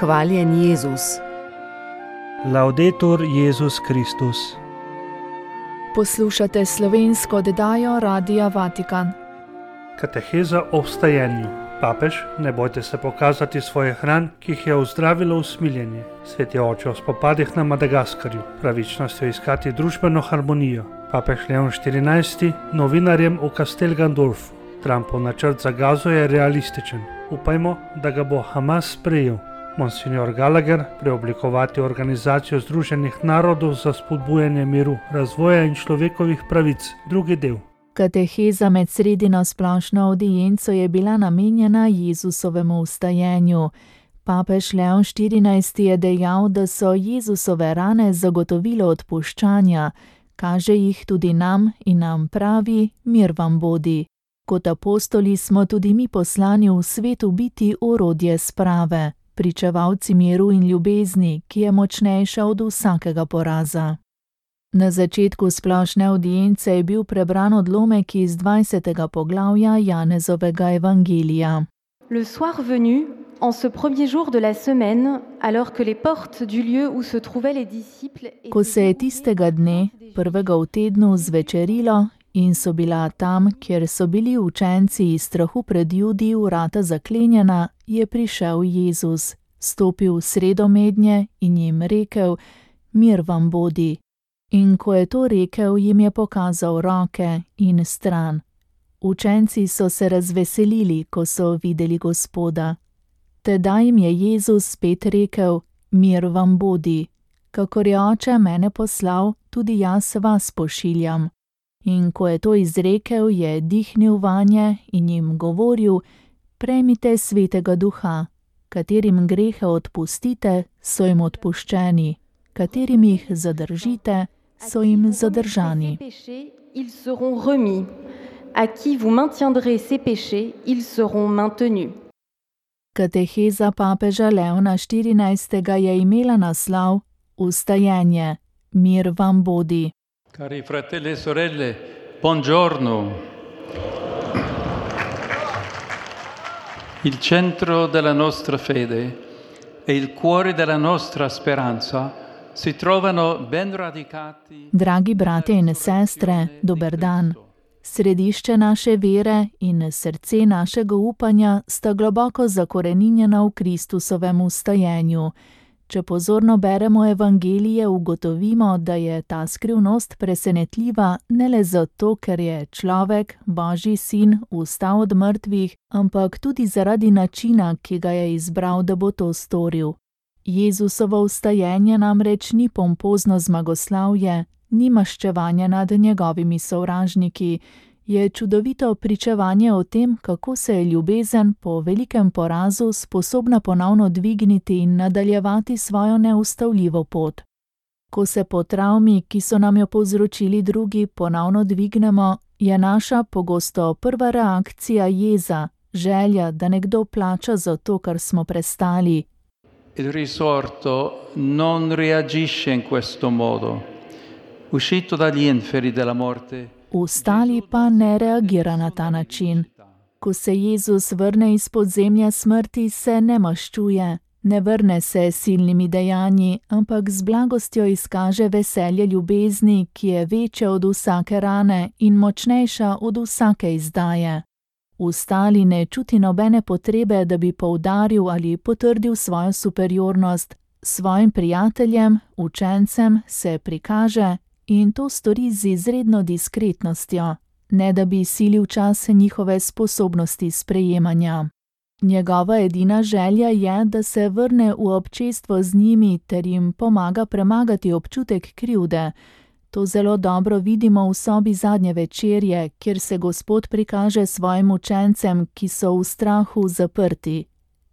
Hvaljen Jezus. Laudetur Jezus Kristus. Poslušate slovensko oddajo Radia Vatikan. Kateheza o vstajenju. Papež, ne bojte se pokazati svoje hran, ki jih je ozdravilo usmiljenje. Sveti oče o spopadih na Madagaskarju, pravičnostjo iskati družbeno harmonijo. Papež Leon XIV novinarjem v Castel Gandolfu. Trumpov načrt za Gazo je realističen. Upajmo, da ga bo Hamas sprejel. Monsignor Gallagher, preoblikovati Organizacijo Združenih narodov za spodbujanje miru, razvoja in človekovih pravic, drugi del. Kateheza med sredino splošno avdienco je bila namenjena Jezusovemu vstajenju. Papež Leon XIV je dejal, da so Jezusove rane zagotovilo odpuščanja, kaže jih tudi nam in nam pravi: mir vam bodi. Kot apostoli smo tudi mi poslani v svetu biti orodje sprave, pričevalci miru in ljubezni, ki je močnejša od vsakega poraza. Na začetku splošne avdience je bil prebran odlomek iz 20. poglavja Janezovega evangelija. Le soir venu, en ce premier jour de la semaine, alors que les portes du lieu où se trouvaient les disciples... Ko se je tistega dne, prvega v tednu, zvečerilo in so bila tam, kjer so bili učenci iz strahu pred Judi, vrata zaklenjena, je prišel Jezus, stopil v sredo mednje in jim rekel: mir vam bodi. In ko je to rekel, jim je pokazal roke in stran. Učenci so se razveselili, ko so videli Gospoda. Tedaj jim je Jezus spet rekel: mir vam bodi. Kakor je Oče mene poslal, tudi jaz vas pošiljam. In ko je to izrekel, je dihnil vanje in jim govoril: prejmite Svetega Duha, katerim grehe odpustite, so jim odpuščeni, katerim jih zadržite, so jim zadržani. Ils seront remis. À qui vous maintiendrez ses péchés, ils seront maintenus. Kateheza papeža Leona XIV. Je imela naslov Vstajenje, mir vam bodi. Cari fratelli e sorelle, buongiorno. Il centro della nostra fede e il cuore della nostra speranza si trovano ben radicati. Dragi brate in sestre, dober dan. Središče naše vere in srce našega upanja sta globoko zakoreninjena v Kristusovem vstajenju. Če pozorno beremo evangelije, ugotovimo, da je ta skrivnost presenetljiva ne le zato, ker je človek, Božji sin, vstal od mrtvih, ampak tudi zaradi načina, ki ga je izbral, da bo to storil. Jezusovo vstajenje namreč ni pompozno zmagoslavje, ni maščevanje nad njegovimi sovražniki, je čudovito pričevanje o tem, kako se je ljubezen po velikem porazu sposobna ponovno dvigniti in nadaljevati svojo neustavljivo pot. Ko se po travmi, ki so nam jo povzročili drugi, ponovno dvignemo, je naša pogosto prva reakcija jeza, želja, da nekdo plača za to, kar smo prestali. Il risorto non reagisce in questo modo. Uscito dagli inferi della morte. Vstali pa ne reagira na ta način. Ko se Jezus vrne iz podzemlja smrti, se ne maščuje, ne vrne se s silnimi dejanji, ampak z blagostjo izkaže veselje ljubezni, ki je večja od vsake rane in močnejša od vsake izdaje. Vstali ne čuti nobene potrebe, da bi poudaril ali potrdil svojo superiornost. Svojim prijateljem, učencem se prikaže in to stori z izredno diskretnostjo, ne da bi silil čas njihove sposobnosti sprejemanja. Njegova edina želja je, da se vrne v občestvo z njimi ter jim pomaga premagati občutek krivde. To zelo dobro vidimo v sobi zadnje večerje, kjer se Gospod prikaže svojim učencem, ki so v strahu zaprti.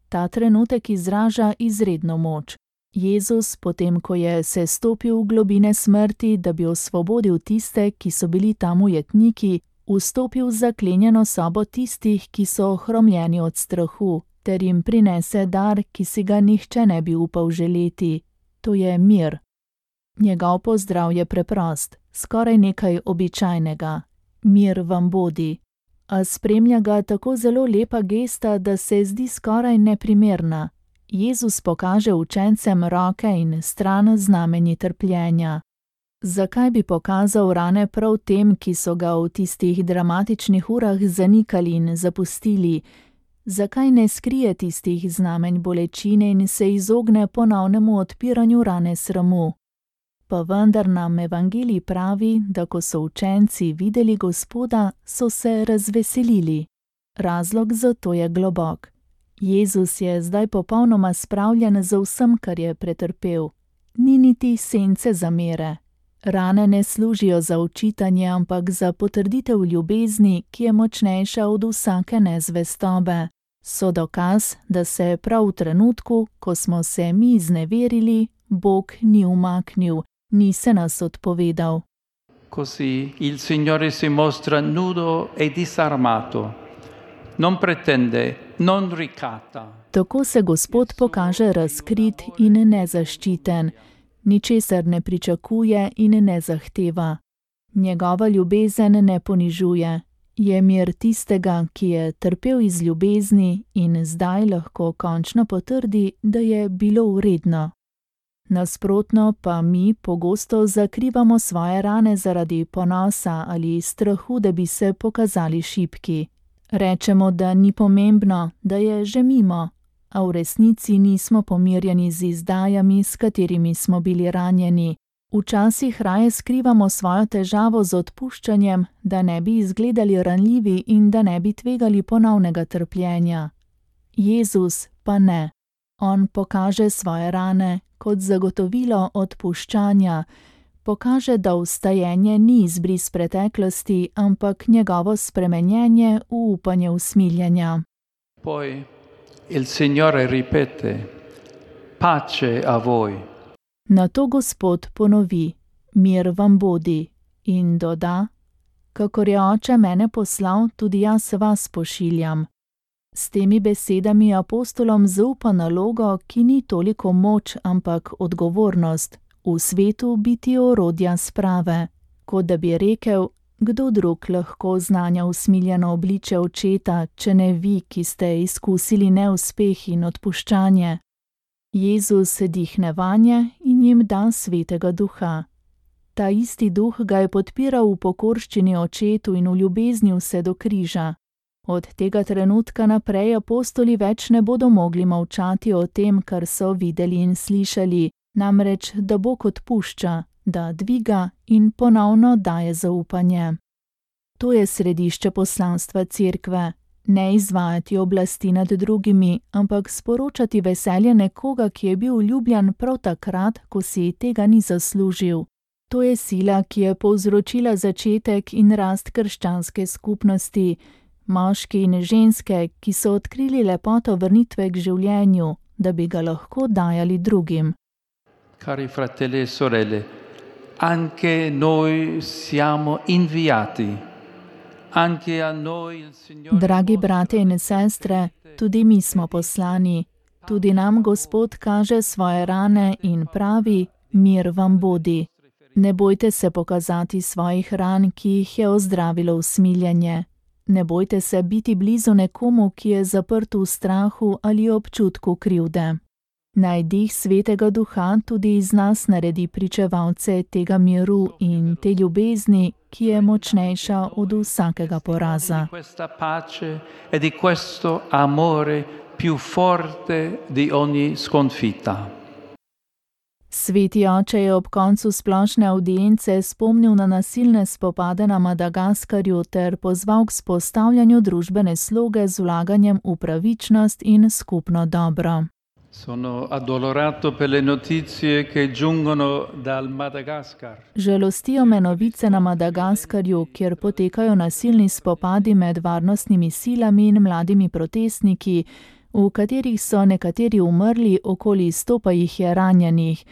Ta trenutek izraža izredno moč. Jezus, potem ko je sestopil v globine smrti, da bi osvobodil tiste, ki so bili tam ujetniki, vstopil v zaklenjeno sobo tistih, ki so ohromljeni od strahu, ter jim prinese dar, ki si ga nihče ne bi upal želeti. To je mir. Njegov pozdrav je preprost, skoraj nekaj običajnega. Mir vam bodi. A spremlja ga tako zelo lepa gesta, da se zdi skoraj neprimerna. Jezus pokaže učencem roke in stran znamenji trpljenja. Zakaj bi pokazal rane prav tem, ki so ga v tistih dramatičnih urah zanikali in zapustili? Zakaj ne skrije tistih znamenj bolečine in se izogne ponovnemu odpiranju rane sramu? Pa vendar nam evangelij pravi, da ko so učenci videli Gospoda, so se razveselili. Razlog za to je globok. Jezus je zdaj popolnoma spravljen za vsem, kar je pretrpel. Ni niti sence zamere. Rane ne služijo za učitanje, ampak za potrditev ljubezni, ki je močnejša od vsake nezvestobe. So dokaz, da se prav v trenutku, ko smo se mi izneverili, Bog ni umaknil, ni se nas odpovedal. Così il Signore si mostra nudo e disarmato, non pretende, non ricatta. Tako se Gospod pokaže razkrit in nezaščiten, ničesar ne pričakuje in ne zahteva. Njegova ljubezen ne ponižuje, je mir tistega, ki je trpel iz ljubezni in zdaj lahko končno potrdi, da je bilo vredno. Nasprotno pa mi pogosto zakrivamo svoje rane zaradi ponosa ali strahu, da bi se pokazali šibki. Rečemo, da ni pomembno, da je že mimo, a v resnici nismo pomirjeni z izdajami, s katerimi smo bili ranjeni. Včasih raje skrivamo svojo težavo z odpuščanjem, da ne bi izgledali ranljivi in da ne bi tvegali ponovnega trpljenja. Jezus pa ne. On pokaže svoje rane kot zagotovilo odpuščanja, pokaže, da vstajenje ni izbris preteklosti, ampak njegovo spremenjenje v upanje usmiljenja. Poi il Signore ripete, pace a voi. Nato Gospod ponovi, mir vam bodi, in doda, kakor je Oče mene poslal, tudi jaz vas pošiljam. S temi besedami apostolom zaupa nalogo, ki ni toliko moč, ampak odgovornost, v svetu biti orodja sprave, kot da bi rekel, kdo drug lahko znanja usmiljeno obliče očeta, če ne vi, ki ste izkusili neuspeh in odpuščanje. Jezus dihne vanje in jim da svetega duha. Ta isti duh ga je podpiral v pokorščini očetu in v ljubezni vse do križa. Od tega trenutka naprej apostoli več ne bodo mogli molčati o tem, kar so videli in slišali, namreč, da Bog odpušča, da dviga in ponovno daje zaupanje. To je središče poslanstva Cerkve. Ne izvajati oblasti nad drugimi, ampak sporočati veselje nekoga, ki je bil ljubljen prav takrat, ko si tega ni zaslužil. To je sila, ki je povzročila začetek in rast krščanske skupnosti, moški in ženske, ki so odkrili lepoto vrnitve k življenju, da bi ga lahko dajali drugim. Cari fratelli e sorelle, anche noi siamo inviati. Dragi brate in sestre, tudi mi smo poslani, tudi nam Gospod kaže svoje rane in pravi, mir vam bodi. Ne bojte se pokazati svojih ran, ki jih je ozdravilo usmiljenje. Ne bojte se biti blizu nekomu, ki je zaprt v strahu ali občutku krivde. Naj dih svetega duha tudi iz nas naredi pričevalce tega miru in te ljubezni, ki je močnejša od vsakega poraza. Sveti oče je ob koncu splošne avdience spomnil na nasilne spopade na Madagaskarju ter pozval k vzpostavljanju družbene sloge z vlaganjem v pravičnost in skupno dobro. Sono addolorato per le notizie che giungono dal Madagascar. Žalostijo me novice na Madagaskarju, kjer potekajo nasilni spopadi med varnostnimi silami in mladimi protestniki, v katerih so nekateri umrli, okoli 100 pa jih je ranjenih,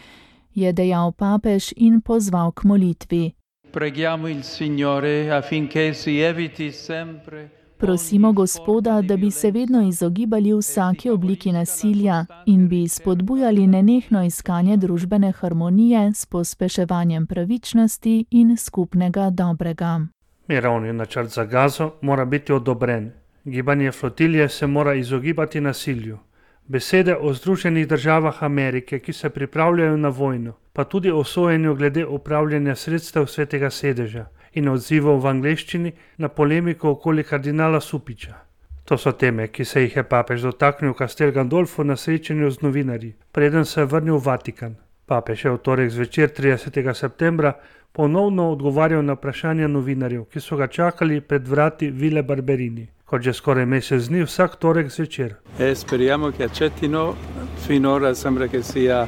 je dejal papež in pozval k molitvi. Preghiamo il Signore affinché si eviti sempre. Prosimo Gospoda, da bi se vedno izogibali vsaki obliki nasilja in bi spodbujali nenehno iskanje družbene harmonije s pospeševanjem pravičnosti in skupnega dobrega. Mirovni načrt za Gazo mora biti odobren. Gibanje flotilje se mora izogibati nasilju. Besede o Združenih državah Amerike, ki se pripravljajo na vojno, pa tudi o sojenju glede upravljanja sredstev Svetega sedeža in odzivov v angleščini na polemiko okoli kardinala Supiča. To so teme, ki se jih je papež dotaknil v Castel Gandolfo na srečanju z novinarji, preden se je vrnil v Vatikan. Papež je v torek zvečer 30. septembra ponovno odgovarjal na vprašanja novinarjev, ki so ga čakali pred vrati Ville Barberini, kot že skoraj mesec dni vsak torek zvečer. Speriamo che accettino, finora sembra che sia,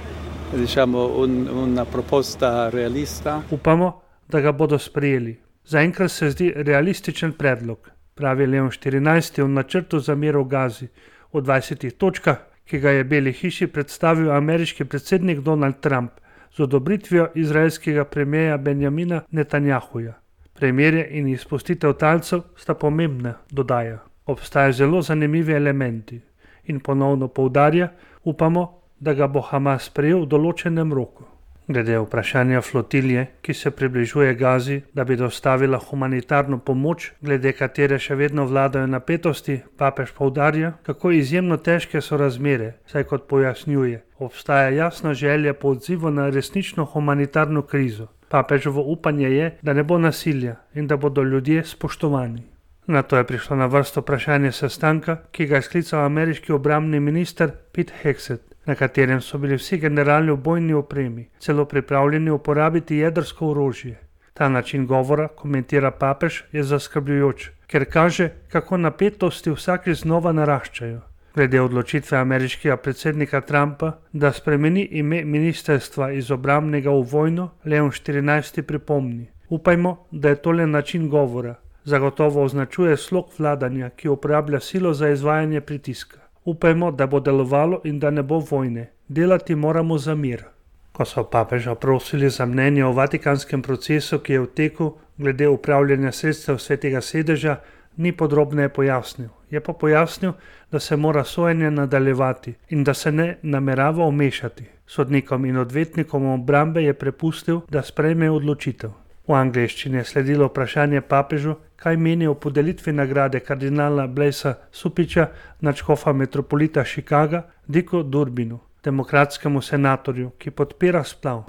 una proposta realista. Upamo, da ga bodo sprejeli. Zaenkrat se zdi realističen predlog, pravi Leon XIV v načrtu za mir v Gazi v 20 točkah, ki ga je Beli hiši predstavil ameriški predsednik Donald Trump z odobritvijo izraelskega premierja Benjamina Netanjahuja. Premirje in izpustitev talcev sta pomembna, dodaja. Obstajajo zelo zanimivi elementi in ponovno poudarja, upamo, da ga bo Hamas sprejel v določenem roku. Glede vprašanja flotilje, ki se približuje Gazi, da bi dostavila humanitarno pomoč, glede katere še vedno vladajo napetosti, papež poudarja, kako izjemno težke so razmere, saj kot pojasnjuje, obstaja jasna želja po odzivu na resnično humanitarno krizo. Papeževo upanje je, da ne bo nasilja in da bodo ljudje spoštovani. Nato je prišlo na vrsto vprašanje sestanka, ki ga je sklical ameriški obrambni minister Pete Hegseth, na katerem so bili vsi generali v bojni opremi, celo pripravljeni uporabiti jedrsko orožje. Ta način govora, komentira papež, je zaskrbljujoč, ker kaže, kako napetosti vsakič znova naraščajo. Glede odločitve ameriškega predsednika Trumpa, da spremeni ime ministrstva iz obrambnega v vojno, Leon XIV pripomni: upajmo, da je to le način govora. Zagotovo označuje slog vladanja, ki uporablja silo za izvajanje pritiska. Upajmo, da bo delovalo in da ne bo vojne. Delati moramo za mir. Ko so papeža prosili za mnenje o vatikanskem procesu, ki je v teku glede upravljanja sredstev Svetega sedeža, ni podrobneje pojasnil. Je pa pojasnil, da se mora sojenje nadaljevati in da se ne namerava vmešati. Sodnikom in odvetnikom obrambe je prepustil, da sprejmejo odločitev. V angleščini je sledilo vprašanje papežu, kaj meni o podelitvi nagrade kardinala Blaisa Supiča, nadškofa metropolita Chicaga, Dicku Durbinu, demokratskemu senatorju, ki podpira splav.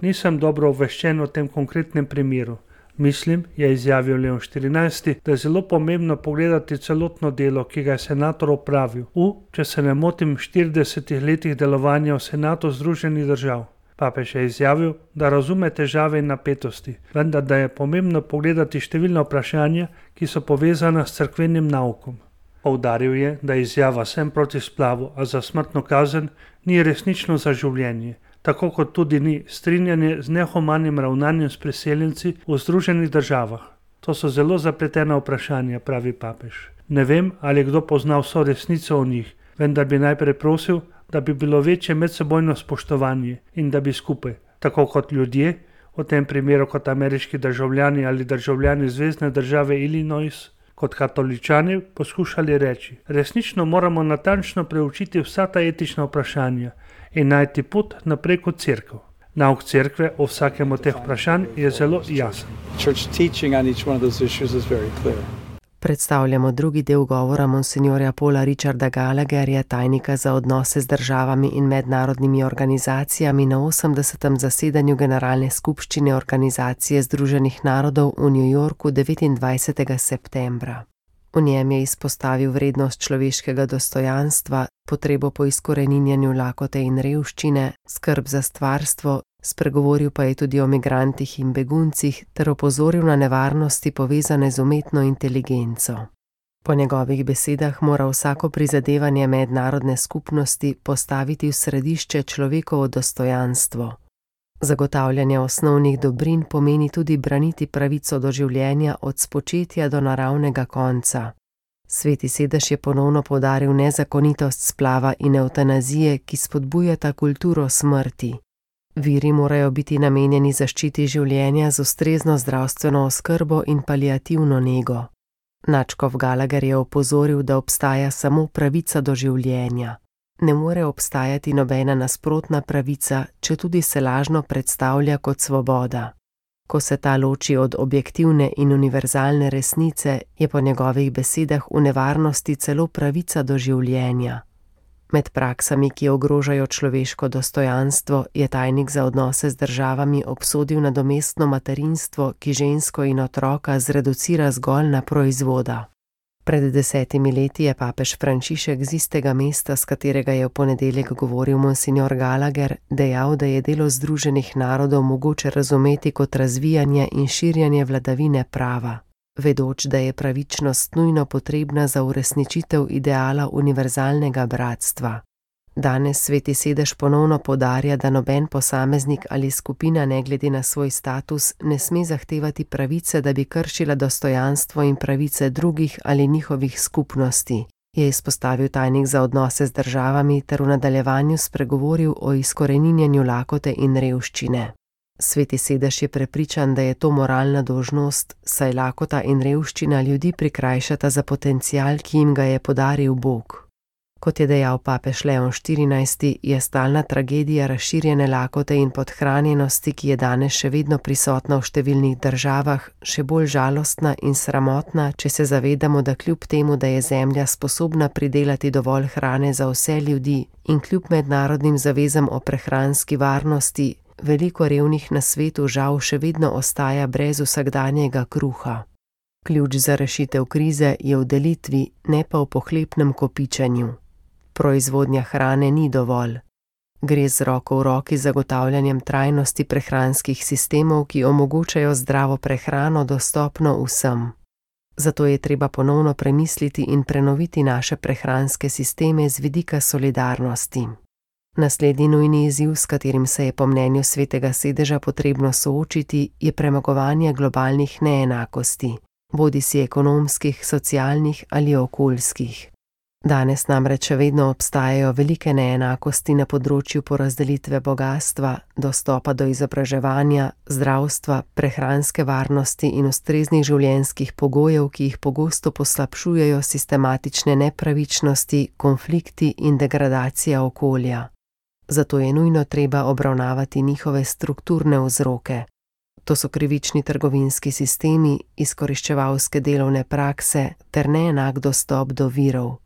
Nisem dobro obveščen o tem konkretnem primeru. Mislim, je izjavil Leon XIV, da je zelo pomembno pogledati celotno delo, ki ga je senator opravil če se ne motim, 40 letih delovanja v Senatu Združenih držav. Papež je izjavil, da razume težave in napetosti, vendar da je pomembno pogledati številna vprašanja, ki so povezana s cerkvenim naukom. Poudaril je, da izjava sem proti splavu, a za smrtno kazen ni resnično za življenje, tako kot tudi ni strinjanje z nehumanim ravnanjem s priseljenci v Združenih državah. To so zelo zapletena vprašanja, pravi papež. Ne vem, ali kdo pozna vso resnico o njih, vendar bi najprej prosil, da bi bilo večje medsebojno spoštovanje in da bi skupaj, tako kot ljudje, v tem primeru kot ameriški državljani ali državljani zvezne države Illinois, kot katoličani poskušali reči. Resnično moramo natančno preučiti vsa ta etična vprašanja in najti pot naprej kot cerkev. Nauk cerkve o vsakem od teh vprašanj je zelo jasen. Predstavljamo drugi del govora monsinjorja Paula Richarda Gallagherja, tajnika za odnose z državami in mednarodnimi organizacijami na 80. zasedanju Generalne skupščine Organizacije Združenih narodov v New Yorku 29. septembra. V njem je izpostavil vrednost človeškega dostojanstva, potrebo po izkoreninjanju lakote in revščine, skrb za stvarstvo, spregovoril pa je tudi o migrantih in beguncih ter opozoril na nevarnosti povezane z umetno inteligenco. Po njegovih besedah mora vsako prizadevanje mednarodne skupnosti postaviti v središče človekovo dostojanstvo. Zagotavljanje osnovnih dobrin pomeni tudi braniti pravico do življenja od spočetja do naravnega konca. Sveti sedež je ponovno poudaril nezakonitost splava in evtanazije, ki spodbujata kulturo smrti. Viri morajo biti namenjeni zaščiti življenja z ustrezno zdravstveno oskrbo in paliativno nego. Nadškof Gallagher je opozoril, da obstaja samo pravica do življenja. Ne more obstajati nobena nasprotna pravica, četudi se lažno predstavlja kot svoboda. Ko se ta loči od objektivne in univerzalne resnice, je po njegovih besedah v nevarnosti celo pravica do življenja. Med praksami, ki ogrožajo človeško dostojanstvo, je tajnik za odnose z državami obsodil nadomestno materinstvo, ki žensko in otroka zreducira zgolj na proizvoda. Pred 10 leti je papež Frančišek z istega mesta, s katerega je v ponedeljek govoril monsignor Gallagher, dejal, da je delo Združenih narodov mogoče razumeti kot razvijanje in širjanje vladavine prava, vedoč, da je pravičnost nujno potrebna za uresničitev ideala univerzalnega bratstva. Danes Sveti sedež ponovno poudarja, da noben posameznik ali skupina ne glede na svoj status ne sme zahtevati pravice, da bi kršila dostojanstvo in pravice drugih ali njihovih skupnosti, je izpostavil tajnik za odnose z državami ter v nadaljevanju spregovoril o izkoreninjenju lakote in revščine. Sveti sedež je prepričan, da je to moralna dolžnost, saj lakota in revščina ljudi prikrajšata za potencial, ki jim ga je podaril Bog. Kot je dejal papež Leon XIV, je stalna tragedija razširjene lakote in podhranjenosti, ki je danes še vedno prisotna v številnih državah, še bolj žalostna in sramotna, če se zavedamo, da kljub temu, da je Zemlja sposobna pridelati dovolj hrane za vse ljudi in kljub mednarodnim zavezam o prehranski varnosti, veliko revnih na svetu žal še vedno ostaja brez vsakdanjega kruha. Ključ za rešitev krize je v delitvi, ne pa v pohlepnem kopičenju. Proizvodnja hrane ni dovolj. Gre z roko v roki z zagotavljanjem trajnosti prehranskih sistemov, ki omogočajo zdravo prehrano dostopno vsem. Zato je treba ponovno premisliti in prenoviti naše prehranske sisteme z vidika solidarnosti. Naslednji nujni izziv, s katerim se je po mnenju Svetega sedeža potrebno soočiti, je premagovanje globalnih neenakosti, bodisi ekonomskih, socialnih ali okoljskih. Danes namreč še vedno obstajajo velike neenakosti na področju porazdelitve bogastva, dostopa do izobraževanja, zdravstva, prehranske varnosti in ustreznih življenjskih pogojev, ki jih pogosto poslabšujejo sistematične nepravičnosti, konflikti in degradacija okolja. Zato je nujno treba obravnavati njihove strukturne vzroke. To so krivični trgovinski sistemi, izkoriščevalske delovne prakse ter neenak dostop do virov.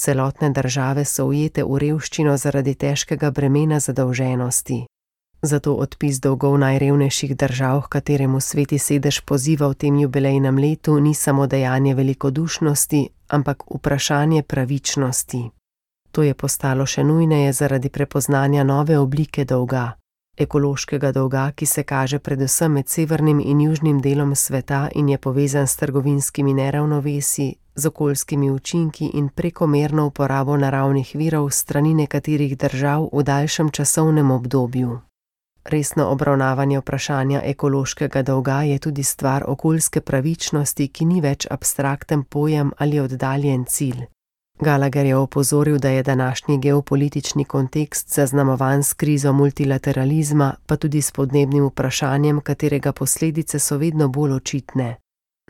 Celotne države so ujete v revščino zaradi težkega bremena zadolženosti. Zato odpis dolgov najrevnejših držav, h kateremu Sveti sedež poziva v tem jubilejnem letu, ni samo dejanje velikodušnosti, ampak vprašanje pravičnosti. To je postalo še nujneje zaradi prepoznanja nove oblike dolga, ekološkega dolga, ki se kaže predvsem med severnim in južnim delom sveta in je povezan s trgovinskimi neravnovesji, z okoljskimi učinki in prekomerno uporabo naravnih virov s strani nekaterih držav v daljšem časovnem obdobju. Resno obravnavanje vprašanja ekološkega dolga je tudi stvar okoljske pravičnosti, ki ni več abstrakten pojem ali oddaljen cilj. Gallagher je opozoril, da je današnji geopolitični kontekst zaznamovan s krizo multilateralizma, pa tudi s podnebnim vprašanjem, katerega posledice so vedno bolj očitne.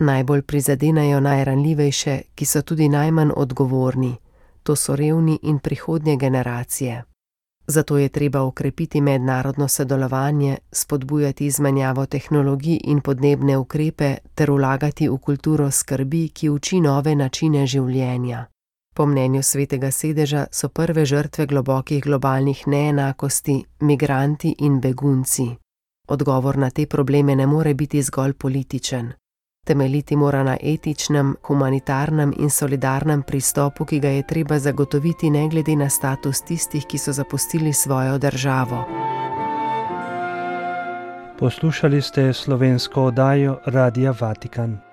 Najbolj prizadenejo najranljivejše, ki so tudi najmanj odgovorni. To so revni in prihodnje generacije. Zato je treba okrepiti mednarodno sodelovanje, spodbujati izmenjavo tehnologij in podnebne ukrepe ter vlagati v kulturo skrbi, ki uči nove načine življenja. Po mnenju Svetega sedeža so prve žrtve globokih globalnih neenakosti migranti in begunci. Odgovor na te probleme ne more biti zgolj političen. Temeljiti mora na etičnem, humanitarnem in solidarnem pristopu, ki ga je treba zagotoviti ne glede na status tistih, ki so zapustili svojo državo. Poslušali ste slovensko oddajo Radia Vatikan.